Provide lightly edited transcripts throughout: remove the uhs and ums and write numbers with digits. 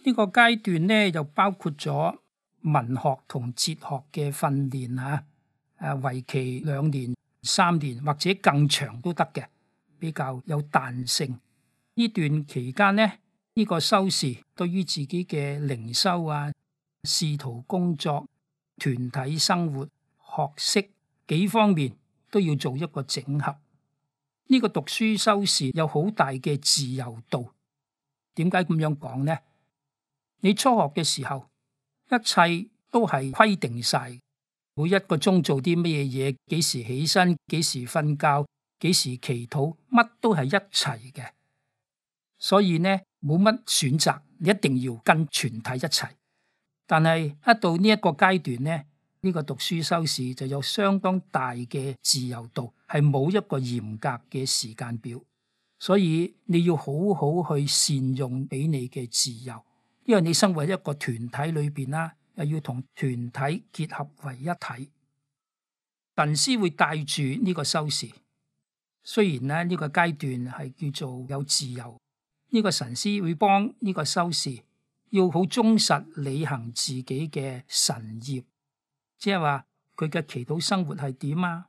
呢個階段呢，又包括咗文學同哲學嘅訓練嚇，為期2年、3年或者更長都得嘅，比較有彈性。呢段期間呢，呢個修士對於自己嘅靈修啊、仕途工作、團體生活、學識幾方面都要做一個整合。呢個讀書修士有好大嘅自由度。點解咁樣講呢？你初學嘅時候，一切都係規定晒，每一個鐘做啲乜嘢，幾時起身，幾時瞓覺，幾時祈禱，乜都係一齊嘅。所以呢，冇乜選擇，你一定要跟全體一齊。但係一到呢一個階段呢，呢個讀書修士就有相當大嘅自由度，係冇一個嚴格嘅時間表。所以你要好好去善用俾你嘅自由，因為你生活喺一個團體裏邊啦，又要同團體結合為一體。神師會帶住呢個修士，雖然呢個階段係叫做有自由，呢個神師會幫呢個修士要好忠實履行自己嘅神業，即係話佢嘅祈禱生活係點啊，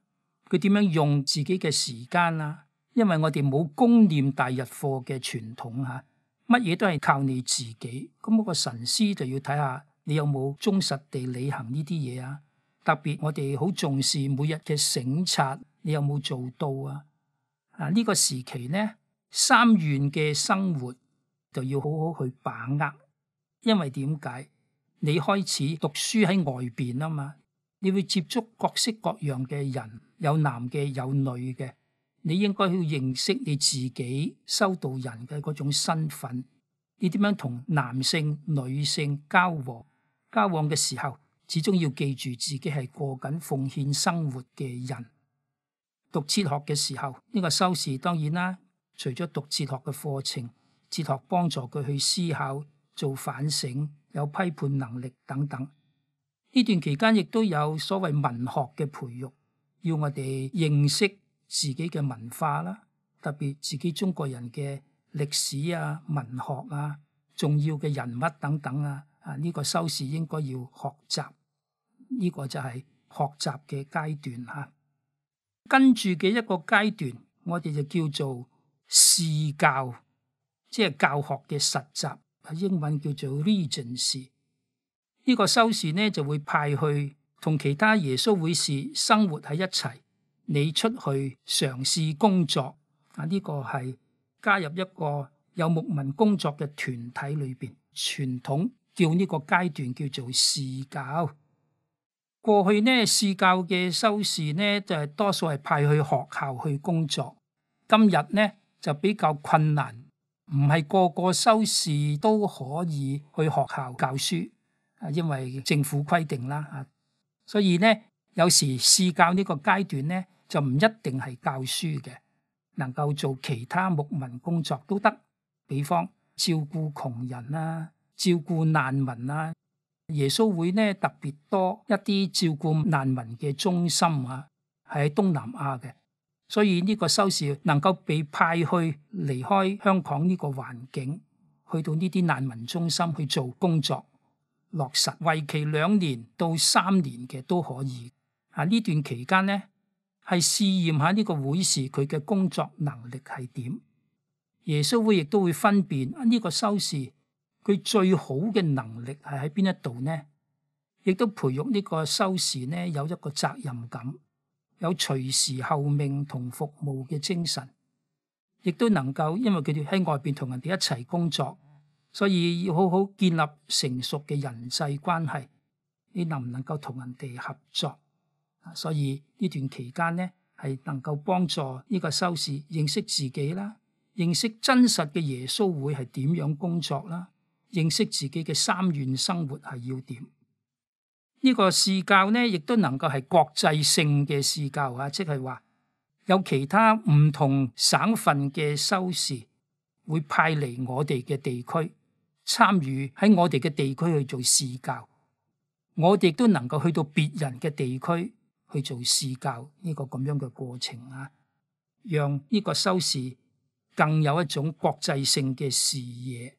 佢點樣用自己嘅時間啊。因為我哋冇供念大日課嘅傳統嚇，乜嘢都係靠你自己。咁個神師就要睇下你有冇忠實地履行呢啲嘢啊。特別我哋好重視每日嘅省察，你有冇做到啊？呢個時期呢，3願嘅生活就要好好去把握。因為點解？你開始讀書喺外邊啊嘛，你會接觸各式各樣嘅人，有男嘅有女嘅。你應該要認識你自己修道人嘅嗰種身份，你點樣同男性、女性交往嘅時候，始終要記住自己係過緊奉獻生活嘅人。讀哲學嘅時候，呢個修士當然啦，除咗讀哲學嘅課程，哲學幫助佢去思考、做反省、有批判能力等等。呢段期間亦都有所謂文學嘅培育，要我哋認識自己嘅文化啦，特別自己中國人嘅歷史啊、文學啊、重要嘅人物等等啊，呢個修士應該要學習，呢個就係學習嘅階段吓。跟住嘅一個階段，我哋就叫做試教，即係教學嘅實習，英文叫做 regency。呢個修士呢就會派去同其他耶穌會士生活喺一齊。你出去嘗試工作，呢個係加入一個有牧民工作嘅團體裏邊，傳統叫呢個階段叫做試教。過去呢，試教嘅修士呢就係多數係派去學校去工作。今日呢就比較困難，唔係個個修士都可以去學校教書，因為政府規定啦。所以呢，有時試教呢個階段呢，就唔一定係教書嘅，能夠做其他牧民工作都得，比方照顧窮人啊、照顧難民啊。耶穌會呢特別多一啲照顧難民嘅中心啊，係喺東南亞嘅，所以呢個修士能夠被派去離開香港呢個環境，去到呢啲難民中心去做工作，落實為期2年到3年嘅都可以。呢段期間呢，係試驗下呢個會士佢嘅工作能力係點。耶穌會亦都會分辨呢個修士佢最好嘅能力係喺邊一度呢？亦都培育呢個修士呢有一個責任感，有隨時候命同服務嘅精神，亦都能夠因為佢哋喺外邊同人哋一齊工作，所以要好好建立成熟嘅人際關係。你能唔能夠同人哋合作？所以呢段期間呢，係能夠幫助呢個修士認識自己啦，認識真實嘅耶穌會係點樣工作啦，認識自己嘅3願生活係要點。呢個試教呢，亦都能夠係國際性嘅試教啊，即係話有其他唔同省份嘅修士會派嚟我哋嘅地區參與喺我哋嘅地區去做試教，我哋都能夠去到別人嘅地區去做試教呢個咁樣嘅過程啊，讓呢個修士更有一種國際性嘅視野。